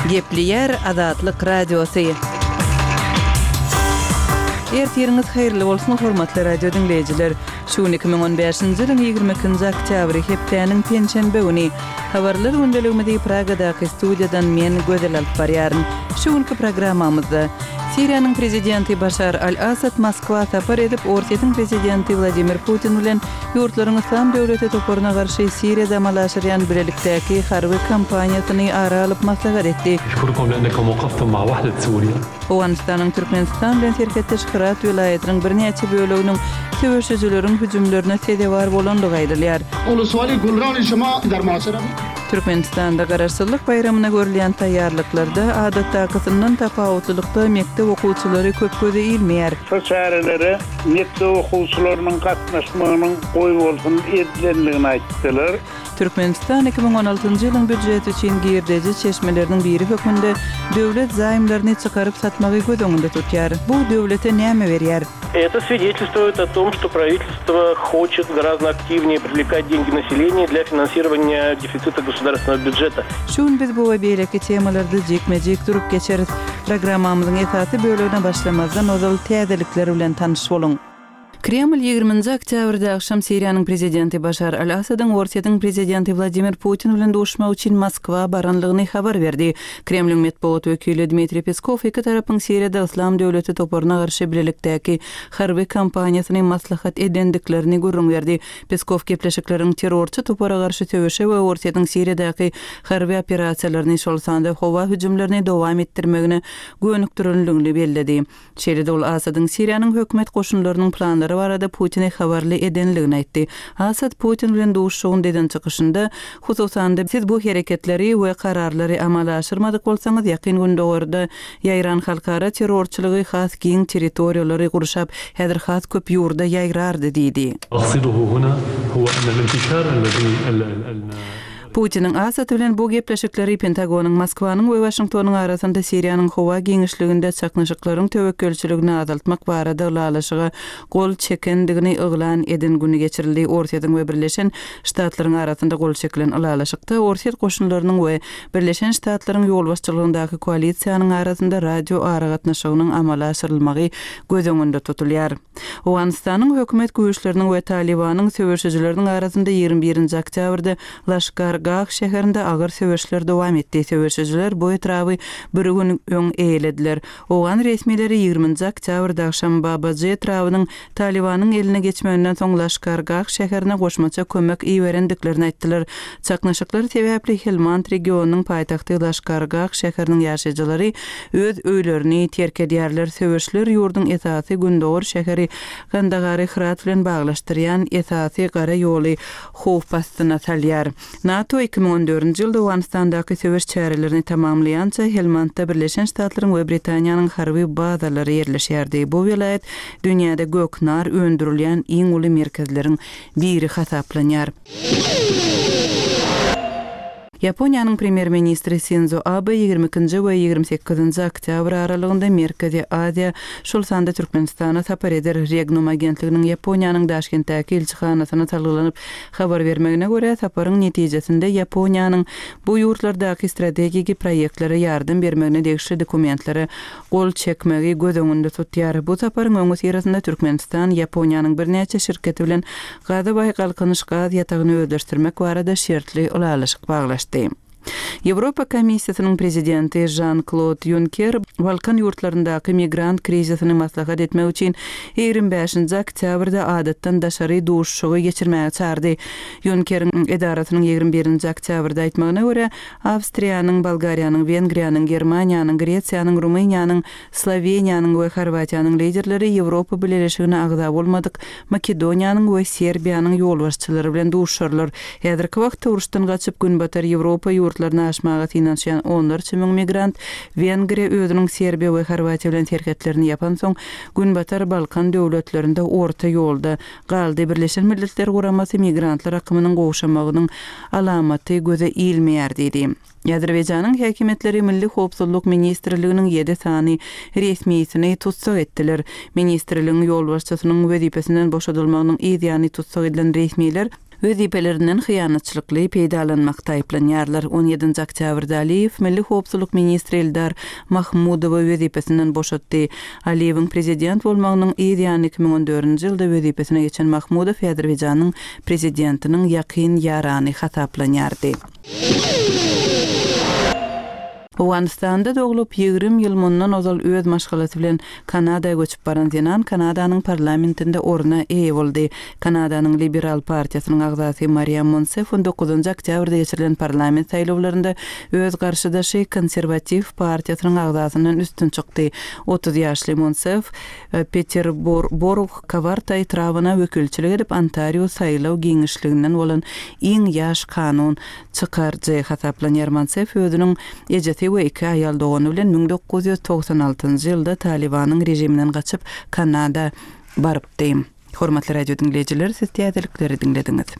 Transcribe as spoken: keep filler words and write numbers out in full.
Gepleýär Azatlyk Radiosy. Ertiriňiz haýyrly bolsun, hormatly radio diňleýjiler! Şu gün iki müň on bäşinji ýylyň ýigrimi ikinji oktýabry, hepdäniň penşenbe güni. Habarlar gündeligimizi Pragadaky studiýadan men, Gözel alyp barýaryn. Şu günki programmamyzda, Siriýanyň prezidenti Başar al-Assad Moskwa sapar edip, Orsýetiň prezidenti Wladimir Putin bilen ýurtlaryň Yslam döwleti toparyna garşy Siriýada amala aşyrýan bilelikdäki harby kampaniýasyny ara alyp maslahat etdi. Owganystanyň Türkmenistan bilen serhetdeş Hyrat welaýatynyň birnäçe böleginiň söweşijileriň hüjümlerine sezewar bolandygy aýdylýar. Türkmenistanda Garaşsyzlyk baýramyna görülýän taýýarlyklarda adatdakysyndan tapawutlylykda mekdep okuwçylary köp göze ilmeýär. Şu çärelere mekdep okuwçylarynyň gatnaşmagynyň goýbolsun edilendigini aýtdylar. Türkmenistan iki müň on altynjy ýylyň býujeti üçin girdeji çeşmeleriniň biri hökmünde döwlet zaýmlaryny çykaryp satmagy göz öňünde tutýar. Bu döwlete näme berýär? Это свидетельствует о том, что правительство хочет гораздо активнее привлекать деньги населения для финансирования дефицита государственного бюджета. Şu gün biz bu we beýleki temalarda jikme-jik durup geçeris. Programmamyzyň esasy bölegine başlamazdan ozal täzelikler bilen tanyş boluň. Kreml ýigriminji oktýabrda agşam Siriýanyň prezidenti Başar al-Assadyň Orsýetiň prezidenti Wladimir Putin bilen duşmak üçin Moskwa baranlygyny habar berdi. Kremliň metbugat wekili Dmitriý Peskow iki tarapyň Siriýada Yslam döwleti toparyna garşy bilelikdäki harby kampaniýasyny maslahat edendiklerini gürrüň berdi. Peskow gepleşikleriň terrorçy topara garşy söweşe we Orsýetiň Siriýadaky harby operasiýalaryny, şol sanda howa hüjümlerini dowam etdirmegine gönükdirilendigini belledi. Şeýle-de ol Asadyň Siriýanyň hökümet goşunlarynyň planlary barada Putine habarly edenligini aýtdy. Asad Putin bilen duşuşygyň deden çykyşynda, hususan-da, siz bu hereketleri we kararlary amala aşyrmadyk bolsaňyz, Ýakyn Gündogarda ýaýran halkara terrorçylygy has giň territoriýalary gurşap, häzir has köp ýurda ýaýrardy diýdi. Putiniň Asad bilen bu gepleşikleri Pentagonyň, Moskwanyň we Waşingtonyň arasynda Siriýanyň howa giňişliginde çaknyşyklaryň töwekgelçiligini azaltmak barada ylalaşyga gol çekendigini yglan eden güni geçirildi. Orsýetiň we Birleşen Ştatlaryň arasynda gol çekilen ylalaşykda Orsýet goşunlarynyň we Birleşen Ştatlaryň ýolbaşçylygyndaky koalisiýanyň arasynda radio aragatnaşygynyň amala aşyrylmagy göz öňünde tutulýar. Owganystanyň hökümet güýçleriniň we Talybanyň söweşijileriniň arasynda ýigrimi birinji oktýabrda Laşkar Gah şäherinde agyr söweşler dowam etdi. Söweşijiler bu etraby bir gün öň eýelediler. Owgan resmileri ýigriminji oktýabrda agşam Babajy etrabynyň Talybanyň eline geçmeginden soň Laşkar Gah şäherine goşmaça kömek iberendiklerini aýtdylar. Çaknyşyklar sebäpli Helmand regionynyň paýtagty Laşkar Gah şäheriniň ýaşaýjylary öz öýlerini terk edýärler. Söweşler ýurduň esasy gündogar şäheri Kandahary Hyrat bilen baglaşdyrýan esasy gara ýoly howp astyna salýar. NATO iki müň on dördünji ýylda Owganystandaky söweş çärelerini tamamlaýança Helmandda Birleşen Ştatlaryň we Britaniýanyň harby bazalary ýerleşýärdi. Bu welaýat dünýäde göknar öndürilýän iň uly merkezleriň biri hasaplanýar. Ýaponiýanyň premýer-ministri Sinzo Abe ýigrimi ikinji we ýigrimi sekizinji oktýabr aralygynda Merkezi Aziýa, şol sanda Türkmenistana sapar eder. Regnum agentliginiň Ýaponiýanyň Daşkentdäki ilçihanasyna salgylanyp habar bermegine görä, saparyň netijesinde Ýaponiýanyň bu ýurtlardaky strategiki proýektlere ýardam bermegine degişli dokumentlere gol çekmegi göz öňünde tutýar. Bu saparyň öňüsyrasynda Türkmenistan Ýaponiýanyň birnäçe şirketi bilen Gazabaý Galkynyş gaz ýatagyny özleşdirmek barada şertli ylalaşyk baglaşdy. Ýewropa Komissiýasynyň prezidenti Žan-Klod Ýunker Balkan ýurtlaryndaky migrant krizisini maslahat etmek üçin ýigrimi bäşinji oktýabrda adatdan daşary duşuşygy geçirmäge çagyrdy. Ýunkeriň edarasynyň ýigrimi birinji oktýabrda aýtmagyna görä, Awstriýanyň, Bolgariýanyň, Wengriýanyň, Germaniýanyň, Gresiýanyň, Rumyniýanyň, Sloweniýanyň we Horwatiýanyň liderleri Ýewropa Bileleşigine agza bolmadyk Makedoniýanyň we Serbiýanyň ýolbaşçylary bilen duşuşarlar. Häzirki wagtda uruşdan gaçyp Günbatar Ýewropa ýurtlaryna aşmaga synanyşýan onlarça müň migrant Wengriýa özüniň Serbiýa we Horwatiýa bilen serhetlerini ýapansoň Günbatar Balkan döwletlerinde orta ýolda galdy. Birleşen Milletler Guramasy migrantlar akymynyň gowşamagynyň alamaty göze ilmeýär diýdi. Azerbaýjanyň häkimiýetleri Milli howpsuzlyk ministrliginiň ýedi sany resmisini tussag etdiler. Ministrligiň ýolbaşçysynyň wezipesinden boşadylmagynyň yz ýany tussag edilen resmiler Wezipelerinden hyýanatçylykly peýdalanmakda aýyplanýarlar. On ýedinji oktýabrda Aliýew Milli howpsuzlyk ministri Eldar Mahmudowy wezipesinden boşatdy. Aliýewiň prezident bolmagynyň yz ýany iki müň on dördünji ýylda wezipesine geçen Mahmudow Azerbaýjanyň prezidentiniň ýakyn ýarany hasaplanýardy. Owganystanda doglup, ýigrimi ýyl mundan ozal öz maşgalasy bilen Kanada göçüp baran zenan Kanadanyň parlamentinde orna eýe boldy. Kanadanyň Liberal partiýasynyň agzasy Mariam Monsef on dokuzynjy oktýabrda geçirilen parlament saýlawlarynda öz garşydaşy Konserwatiw partiýasynyň agzasyndan üstün çykdy. Otuz ýaşly Monsef Peterborug-Kawarta etrabyna wekilçilik edip, Ontario saýlaw giňişliginden bolan iň ýaş kanun çykaryjy hasaplanýar. Monsef özüniň ejesi we iki aýal dogany bilen müň dokuz ýüz togsan altynjy ýylda Talibanyň režiminden gaçyp Kanada barypdy. Hormatly radio diňleýjiler, siz täzelikleri diňlediňiz.